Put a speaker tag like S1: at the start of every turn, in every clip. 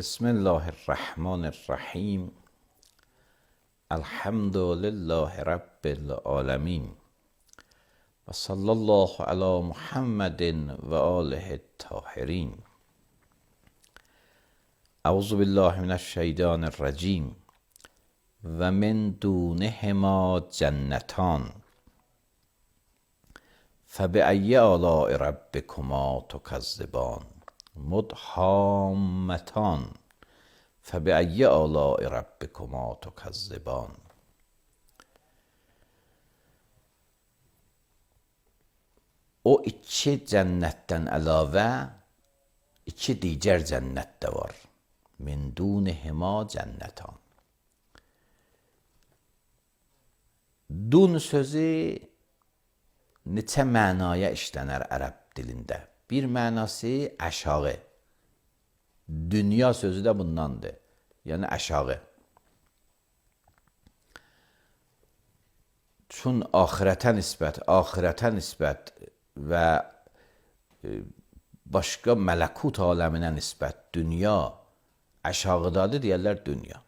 S1: بسم الله الرحمن الرحیم. الحمد لله رب العالمین و صلی الله علی محمد و آله الطاهرین. اعوذ بالله من الشیطان الرجیم. و من دونهما جنتان فبأی آلاء ربکما تکذبان مدهامتان فبأی آلاء ربکما تکذبان. O iki cənnətdən əlavə iki digər cənnət də var. Min dunihima cənnətan. Dun sözü neçə mənaya işlənər ərəb dilində. Bir mənası aşağı. Dünya sözü də bundandır. Yəni aşağı. Çün axirətə nisbət və başqa mələkut aləminə nisbət dünya aşağıdadır deyərlər dünya.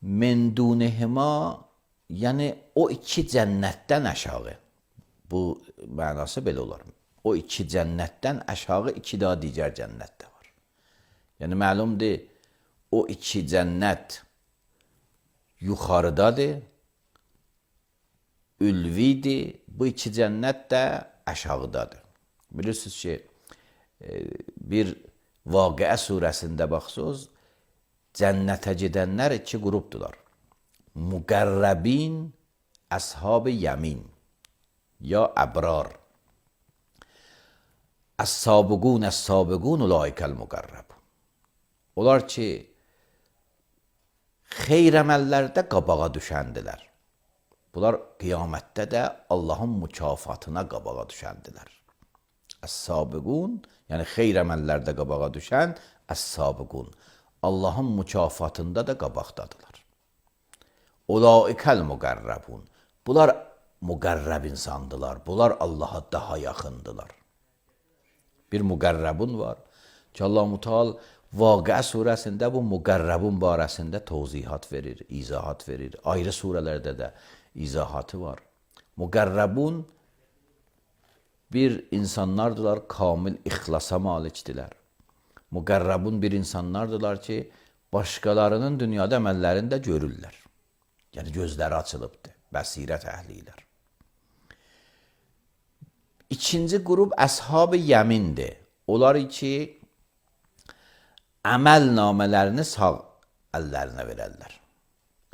S1: Min dunihima yəni o iki cənnətdən aşağı. Bu mənası belə olar. O iki cənnətdən aşağı iki daha digər cənnət də var. Yəni məlumdur, o iki cənnət yuxarıdadır, ülvidir, bu iki cənnət də aşağıdadır. Bilirsiniz ki, bir Vaqiə surəsində baxsınız, cənnətə gedənlər iki qrupdular. Müqərrəbin, əshab-ı yəmin, ya əbrar. Əs-sabiqun ulaikəl müqərrəb. Onlar ki, xeyr əməllərdə qabağa düşəndilər. Bunlar qiyamətdə də Allahın mükafatına qabağa düşəndilər. Əs-sabiqun, yəni xeyr əməllərdə qabağa düşən əs-sabiqun. Allahın mükafatında da qabaqdadılar. Ulaikəl müqərrəbun. Bunlar müqərrəb insandılar. Bunlar Allaha daha yaxındılar. Bir müqərrəbun var ki, Allah-u Teala Vaqiə surəsində bu müqərrəbun barəsində tövzihat verir, izahat verir. Ayrı surələrdə də izahatı var. Müqərrəbun bir insanlardılar, kamil ixlasa malikdilər. Müqərrəbun bir insanlardılar ki, başqalarının dünyada əməllərini də görürlər. Yəni gözləri açılıbdır, bəsirət əhlilər. İkinci qrup əshab-ı yəmindir. Onlar ki, əməl namələrini sağ əllərinə verərlər.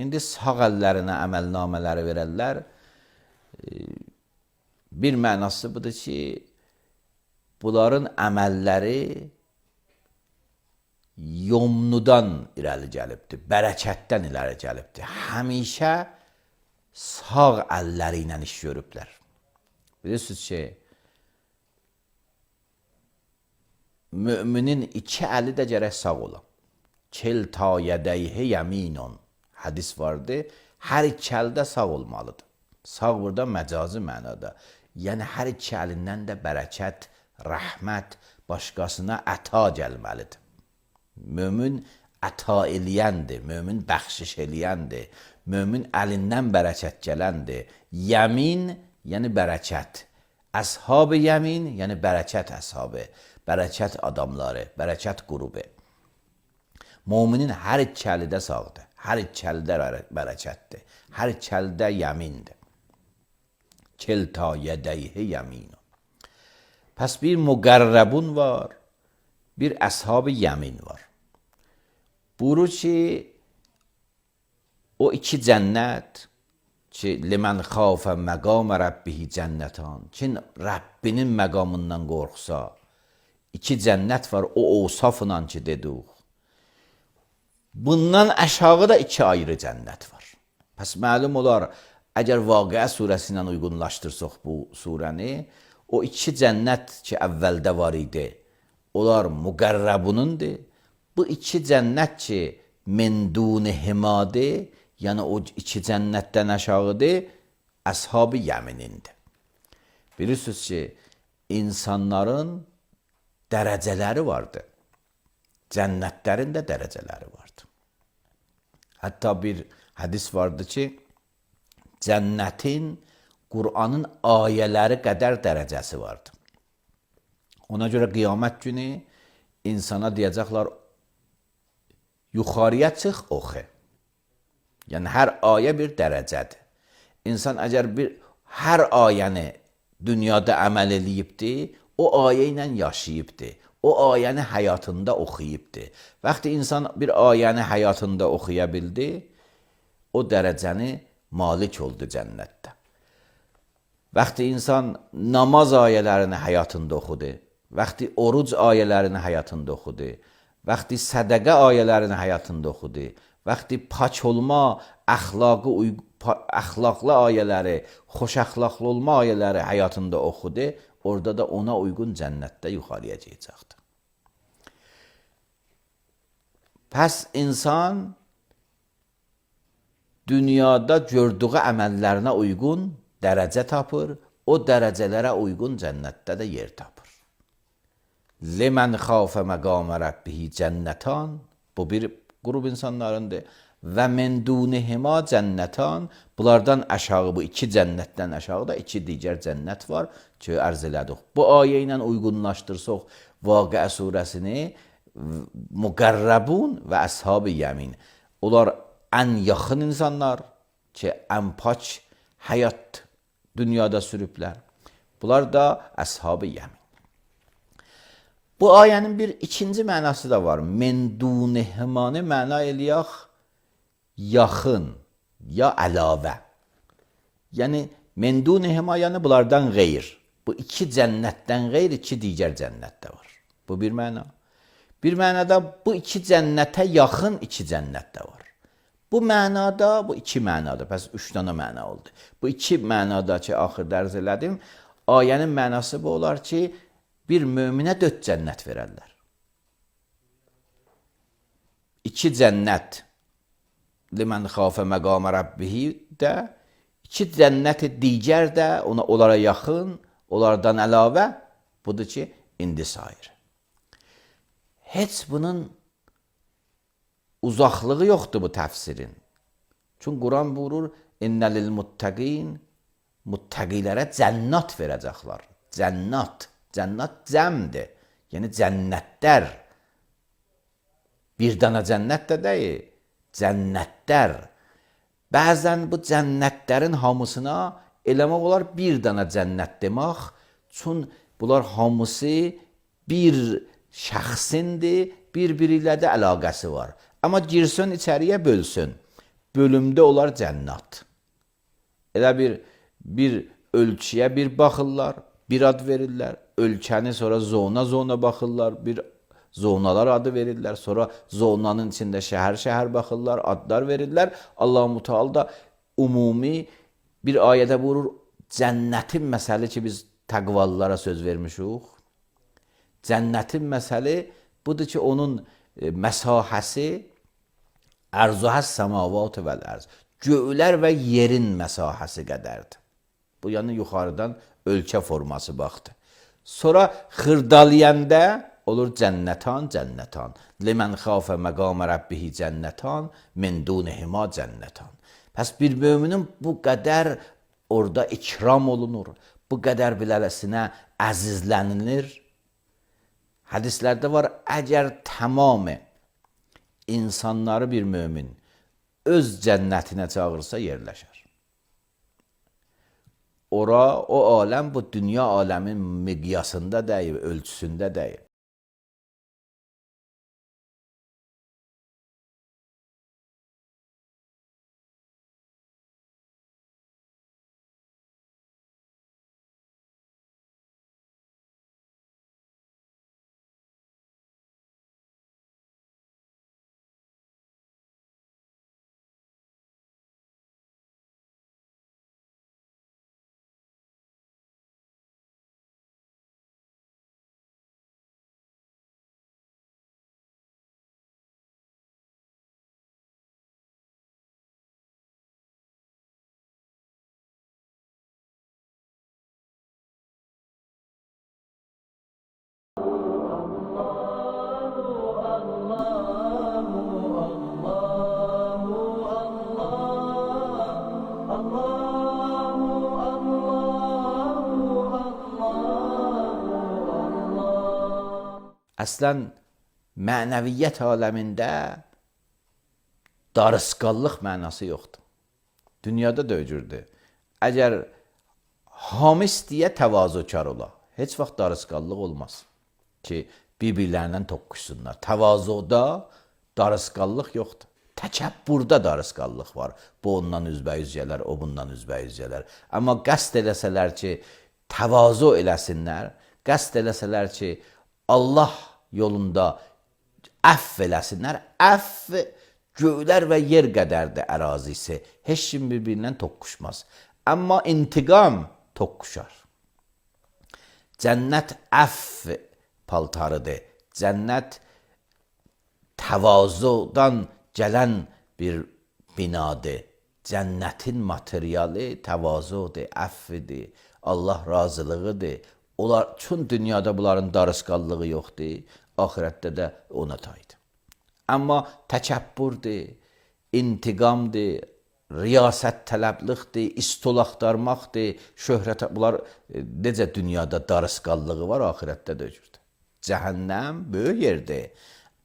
S1: İndi sağ əllərinə əməl namələri verərlər. Bir mənası budur ki, bunların əməlləri yomnudan irəli gəlibdir, bərəkətdən irəli gəlibdir. Həmişə sağ əlləri ilə iş görüblər. Bilirsiniz ki, müminin iki əli də gərək sağ ola. Kilta yədəyhi yəminun. Hədis vardı. Hər iki əldə sağ olmalıdır. Sağ burada məcazi mənada. Yəni hər iki əlindən də bərəkət, rəhmət, başqasına əta gəlməlidir. Mömin əta eləyəndir, mömin bəxşiş eləyəndir, mömin əlindən bərəkət gələndir. Yəmin, yəni bərəkət. Əshab-ı yəmin, yəni bərəkət əshabı, bərəkət adamları, bərəkət qrubu. Müminin hər iki əli də sağdır, hər iki əldə bərəkətdir, hər iki əldə yəmindir. Kilta yədəyhi yəminun. Pəs bir müqərrəbun var, bir əshab-ı yəmin var. Buyurur ki, o iki cənnət ki, limən xafə məqam rəbbihi cənnətan, kim Rəbbinin məqamından qorxsa, iki cənnət var, o ovsafla ki dedik. Bundan aşağıda iki ayrı cənnət var. Pəs məlum olar, əgər Vaqiə surəsi ilə uyğunlaşdırsaq bu surəni, o iki cənnət ki əvvəldə var idi, Onlar müqərrəbunundur. Bu iki cənnət ki, min duni himadır, yəni o iki cənnətdən aşağıdır, əshab-ı yəminindir. Bilirsiniz ki, insanların dərəcələri vardır. Cənnətlərin də dərəcələri vardır. Hətta bir hədis vardı ki, cənnətin Qur'anın ayələri qədər dərəcəsi vardır. Ona görə qiyamət günü insana deyəcəklər, yuxarıya çıx, oxu. Yəni, hər ayə bir dərəcədir. İnsan əgər hər ayəni dünyada əməl eləyibdir, o ayə ilə yaşayıbdır. O ayəni həyatında oxuyubdur. Vaxtı insan bir ayəni həyatında oxuya bildi, o dərəcəni malik oldu cənnətdə. Vaxtı insan namaz ayələrini həyatında oxudu, vaxtı oruc ayələrini həyatında oxudu, vaxtı sədəqə ayələrini həyatında oxudu, vaxtı pak olma, əxlaqlı ayələri, xoş əxlaqlı olma ayələri həyatında oxudu, orada da ona uyğun cənnətdə yuxarıya gələcəkdir. Pəs insan dünyada gördüyü əməllərinə uyğun dərəcə tapır, o dərəcələrə uyğun cənnətdə də yer tapır. Limən xafə məqamə rəbbihi cənnətan, bu bir qrup insanlarındır. Və min dunihima cənnətan, bunlardan aşağı, bu iki cənnətdən aşağıda iki digər cənnət var ki, ərz elədik. Bu ayə ilə uyğunlaşdırsaq Vaqia surəsini, müqərrəbun və əshab-ı yəmin. Onlar ən yaxın insanlar ki, ən pak həyat dünyada sürüblər. Bunlar da əshab-ı yəmin. Bu ayənin bir ikinci mənası da var. Min dunihimanı məna eləyək yaxın ya əlavə. Yəni, min dunihima, yəni bunlardan qeyr. Bu iki cənnətdən qeyr, iki digər cənnət də var. Bu bir məna. Bir mənada bu iki cənnətə yaxın iki cənnət də var. Bu mənada, bu iki mənada, pəs üç dənə məna oldu. Bu iki mənada ki, axırda ərz elədim, ayənin mənası bu olar ki, bir möminə 4 cənnət verərlər. 2 cənnət limən xafə məqamə rəbbihi də, 2 cənnət digər də onlara yaxın, onlardan əlavə budur ki, indi sayır. Heç bunun uzaqlığı yoxdur bu təfsirin. Çünki Quran buyurur, innəlil muttəqin, muttəqilərə cənnat verəcəklər. Cənnat. Cənnat cəmdir. Yəni cənnətlər. Bir dana cənnət də deyil. Cənnətlər. Bəzən bu cənnətlərin hamısına eləmək olar bir dana cənnət demək. Çünki bunlar hamısı bir şəxsindir, bir-biri ilə də əlaqəsi var. Amma girsin içəriyə bölsün. Bölümdə olar cənnat. Elə bir ölçüyə bir baxırlar, bir ad verirlər. Ölkəni sonra zona baxırlar, bir zonalar adı verirlər. Sonra zonanın içində şəhər baxırlar, adlar verirlər. Allah-u Teala da ümumi bir ayədə buyurur, cənnətin məsəli ki, biz təqvalılara söz vermişik. Cənnətin məsəli budur ki, onun məsahəsi ərzuhəs səmavat vəl ərz. Göylər və yerin məsahəsi qədərdir. Bu yəni yuxarıdan ölkə forması baxdı. Sonra xırdalayəndə olur cənnətan. Limən xafə məqamə rəbbihi cənnətan, min dunihima cənnətan. Pəs bir müminin bu qədər orada ikram olunur, bu qədər biləsinə əzizlənilir. Hədislərdə var, əgər tamamı insanları bir mömin öz cənnətinə çağırsa yerləşər. Ora, o aləm bu dünya aləmin miqyasında deyil, ölçüsündə deyil. əslən mənəviyyət aləmində darısqallıq mənası yoxdur. Dünyada da öcürdür. Əgər hamı istəyə təvazökar ola, heç vaxt darısqallıq olmaz ki, bir-birlərindən toqquşsunlar. Təvazuda darısqallıq yoxdur. Təkəbbürdə darısqallıq var. Bu ondan üzbəyüz gələr, o bundan üzbəyüz gələr. Amma qəsd eləsələr ki, təvazu eləsinlər, qəsd eləsələr ki, Allah yolunda əff eləsinlər, əff göylər və yer qədərdir ərazisi. Heç kim bir-birindən toqquşmaz. Amma intiqam toqquşar. Cənnət əff paltarıdır. Cənnət təvazudan gələn bir binadır. Cənnətin materialı təvazudur, əffidir, Allah razılığıdır. Onlar, çün dünyada bunların darısqallığı yoxdur, ahirətdə də ona taydır. Amma təkəbbürdür, intiqamdır, riyasət tələbliqdir, istol axtarmaqdır, şöhrət, bunlar necə dünyada darısqallığı var, ahirətdə də öcürdür. Cəhənnəm böyük yerdir.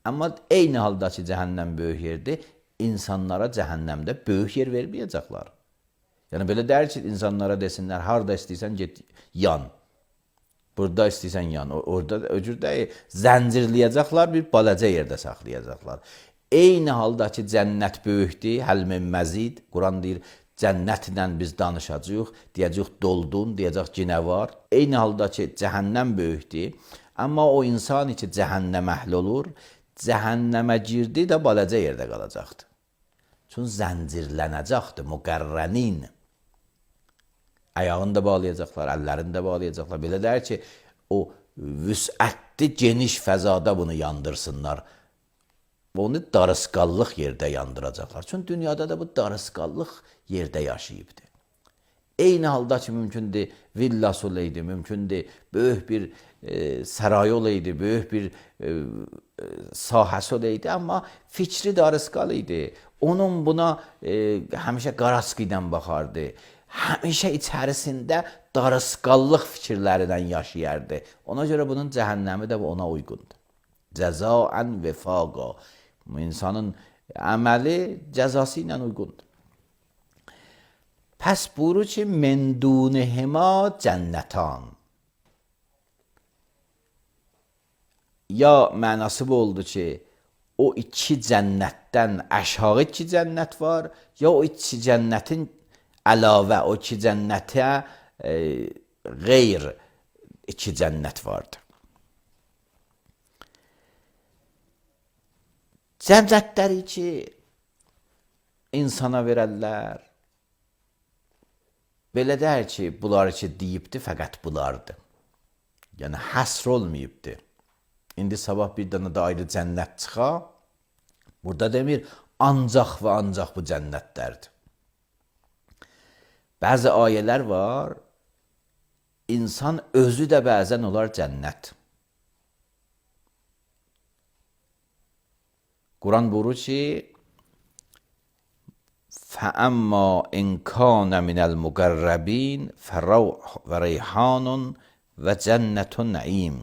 S1: Amma eyni halda ki, cəhənnəm böyük yerdir, insanlara cəhənnəmdə böyük yer verməyəcəklər. Yəni, belə deyir ki, insanlara desinlər, harada istəyirsən, get, yan. Burada istəyirsən, yan. Orada öcür deyil, zəncirləyəcəklər, bir balaca yerdə saxlayacaqlar. Eyni halda ki, cənnət böyükdir, həlmin məzid, Quran deyir, cənnətlə biz danışacaq, deyəcək doldun, deyəcək ki, nə var. Eyni halda ki, cəhənnəm böyükdir, amma o insan ki, cəhənnəm əhl olur, cəhənnəmə girdi də balaca yerdə qalacaqdır. Çünki zəncirlənəcəkdir, müqərrənin. Ayağını da bağlayacaqlar, əllərini də bağlayacaqlar. Belə deyir ki, o vüsətli, geniş fəzada bunu yandırsınlar. Onu darısqallıq yerdə yandıracaqlar. Çünki dünyada da bu darısqallıq yerdə yaşayıbdır. Eyni halda ki, mümkündür villası olaydı, mümkündür böyük bir sarayı olaydı, böyük bir sahəsi olaydı, amma fikri darısqal idi. Onun buna həmişə qaraskı ilə baxardı. Həmişə içərisində darısqallıq fikirlərindən yaşayardı. Ona görə bunun cəhənnəmi də ona uyğundur. Cəzaən vefaqa. İnsanın əməli cəzası ilə uyğundur. Pəs buyurur ki, mendunehima cənnətan. Ya mənası bu oldu ki, o iki cənnətdən aşağı iki cənnət var, ya o iki cənnətin əlavə, o iki cənnətə qeyr iki cənnət vardır. Cənnətləri ki, insana verərlər, belə deyir ki, bunlar ki, deyibdir, fəqət bunlardır. Yəni, həsr olmayıbdır. İndi sabah bir dənə də ayrı cənnət çıxa, burada demir, ancaq və ancaq bu cənnətlərdir. Bəzi ayələr var, insan özü də bəzən olar cənnət. Quran buyurur ki, فَأَمَّا إِنْ كَانَ مِنَ الْمُقَرَّبِينَ فَرَوْحٌ وَرَيْحَانٌ وَجَنَّةُ النَّعِيمِ.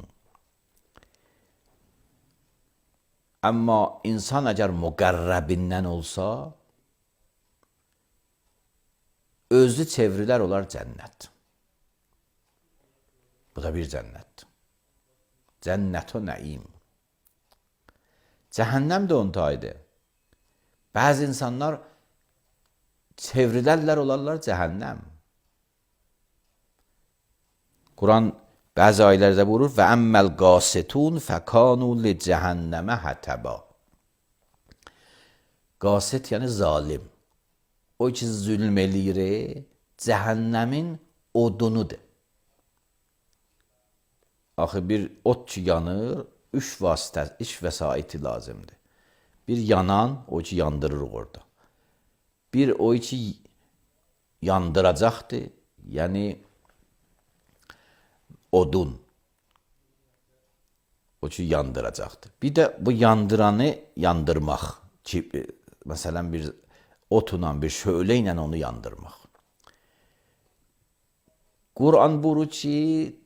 S1: Amma insan əgər müqərrəbindən olsa, özü çevrilər olar cənnət. Bu da bir cənnətdir. Cənnət-u nəim. Cəhənnəm də onun tayıdır. Bəzi insanlar çevrilərlər olarlar cəhənnəm. Quran bəzi ayələrdə buyurur və əmməl qasitun fəkanu li cəhənnəmə hətəba. Qasit yəni zalim. O ki zülm eləyir, cəhənnəmin odunudur. Axı bir ot ki yanır, üç vəsaiti lazımdır. Bir yanan, o ki yandırır orada. Bir o ki yandıracaqdır, yəni odun. O ki yandıracaqdır. Bir də bu yandıranı yandırmaq. Ki, məsələn bir otla, bir şölə ilə onu yandırmaq. Quran buyurur ki,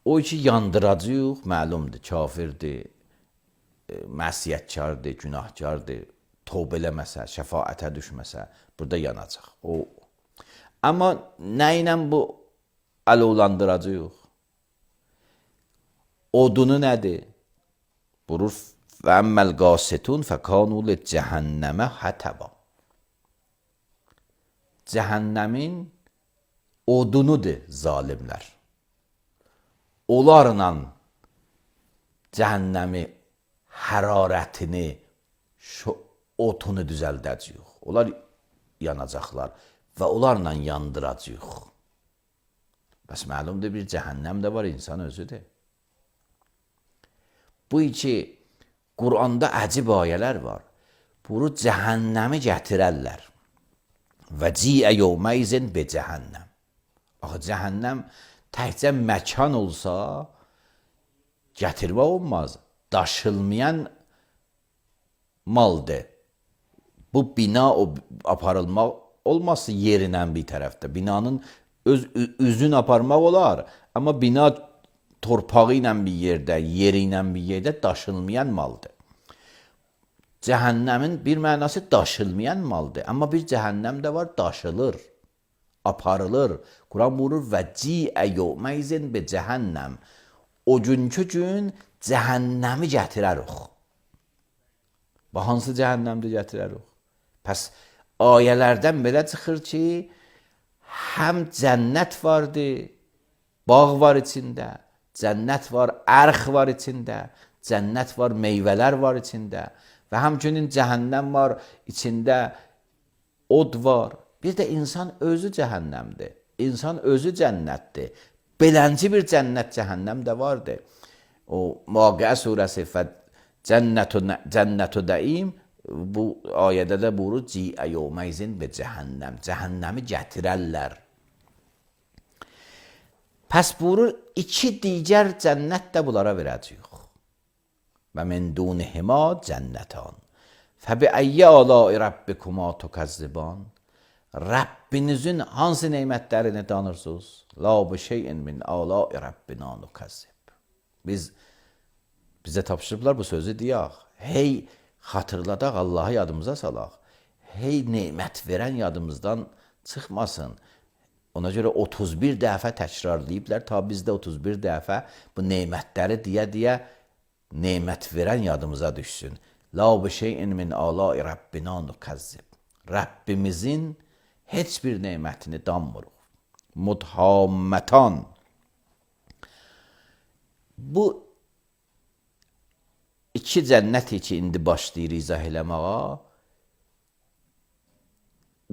S1: O ki yandıracaq, məlumdur, kafirdir, məsiyətkardır, günahkardır, tövbə eləməsə, şəfaətə düşməsə, burada yanacaq. O. Amma nə ilə bu alovlandıracaq? Odunu nədir? Buyurur, və əmməl qasitun fəkanu li cəhənnəmə hətəba. Cəhənnəmin odunudur zalimlər. Onlarla cəhənnəmi hərarətini, otunu düzəldəcəyik. Onlar yanacaqlar və onlarla yandıracaq. Bəs məlumdur, bir cəhənnəm də var, insan özüdür. Bu iki Quranda əcib ayələr var. Bunu cəhənnəmi gətirərlər. Və ciə yevməyzin be cəhənnəm. Axı cəhənnəm təkcə məkan olsa gətirmək olmaz. Daşılmayan maldır. Bu bina aparılmaq olmazsa yerinlə bir tərəfdə. Binanın öz üzün aparmaq olar. Amma bina torpağı ilə bir yerdə, yeri ilə bir yerdə daşılmayan maldır. Cəhənnəmin bir mənası daşılmayan maldır. Amma bir cəhənnəm də var, daşılır, aparılır. Quran buyurur, və ciə yevməyzin be cəhənnəm. O günkü gün cəhənnəmi gətirərik. Və hansı cəhənnəmdir gətirərik? Pəs ayələrdən belə çıxır ki, həm cənnət vardır, bağ var içində, cənnət var, ərx var içində, cənnət var, meyvələr var içində və həmçinin cəhənnəm var, içində od var. Bir də insan özü cəhənnəmdir, insan özü cənnətdir. Belənci bir cənnət, cəhənnəm də vardır. O Vaqiə surəsi cənnətü dəim, bu ayədə də buyurur, ciə yevməyzin be cəhənnəm, cəhənnəmi gətirərlər. Pəs buyurur, iki digər cənnət də bunlara verəcəyik. Və min dunihima cənnətan. Fəbi əyyə alai rabbikuma tukəzziban. Rəbbinizin hansı neymətlərini danırsınız? La bi şeyin min alai rabbina nukəzzib. Bizə tapşırıblar bu sözü deyək. Hey xatırladaq, Allahı yadımıza salaq. Hey neymət verən yadımızdan çıxmasın. Ona görə 31 dəfə təkrarlayıblar, ta bizdə 31 dəfə bu neymətləri deyə neymət verən yadımıza düşsün. La bi şeyin min alai rabbina nukəzzib. Rəbbimizin heç bir neymətini danmırıq. Mudhammətan. Bu iki cənnət ki, indi başlayır izah eləməyə.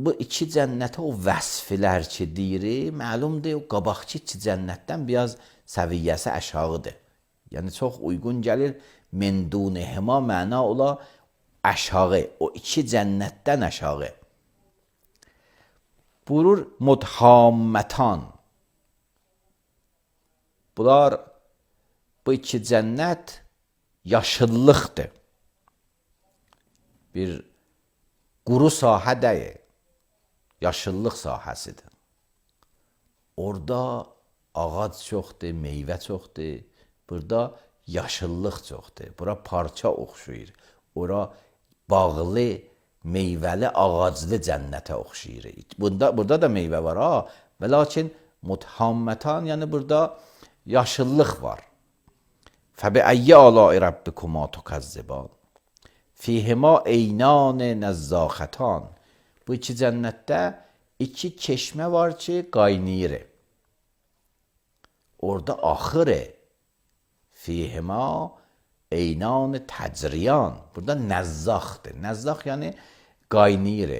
S1: Bu iki cənnətə o vəsflər ki deyir, məlumdur, o qabaqçı iki cənnətdən biraz səviyyəsi aşağıdır. Yəni çox uyğun gəlir, min dunihima məna ola aşağı, o iki cənnətdən aşağı. Buyurur, mudhammətan. Bunlar, bu iki cənnət yaşıllıqdır. Bir quru sahə deyil. Yaşıllıq sahəsidir. Orada ağac çoxdur, meyvə çoxdur. Burada yaşıllıq çoxdur. Bura parça oxşuyur. Ora bağlı, meyvəli, ağaclı cənnətə oxşuyur. Burada da meyvə var ha. Və lakin mudhammətan, yəni burada yaşıllıq var. Fəbi əyyə alai rabbikuma tukəzziban. Fihima eynan nəzzəxətan. Bu iki cənnətdə iki çeşmə var ki, qaynayır. Orada axır. Fihima eynan təcriyan. Burada nəzzaxdır. Nəzzax yəni qaynayır.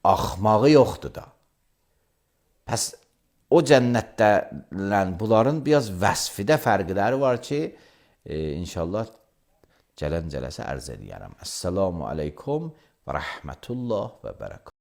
S1: Axmağı yoxdur da. Pəs o cənnətdə bunların biraz vəsfidə fərqləri var ki, inşallah gələn cələsə ərz edərəm. Əssalamu aleykum və rəhmətullah və bərəkət.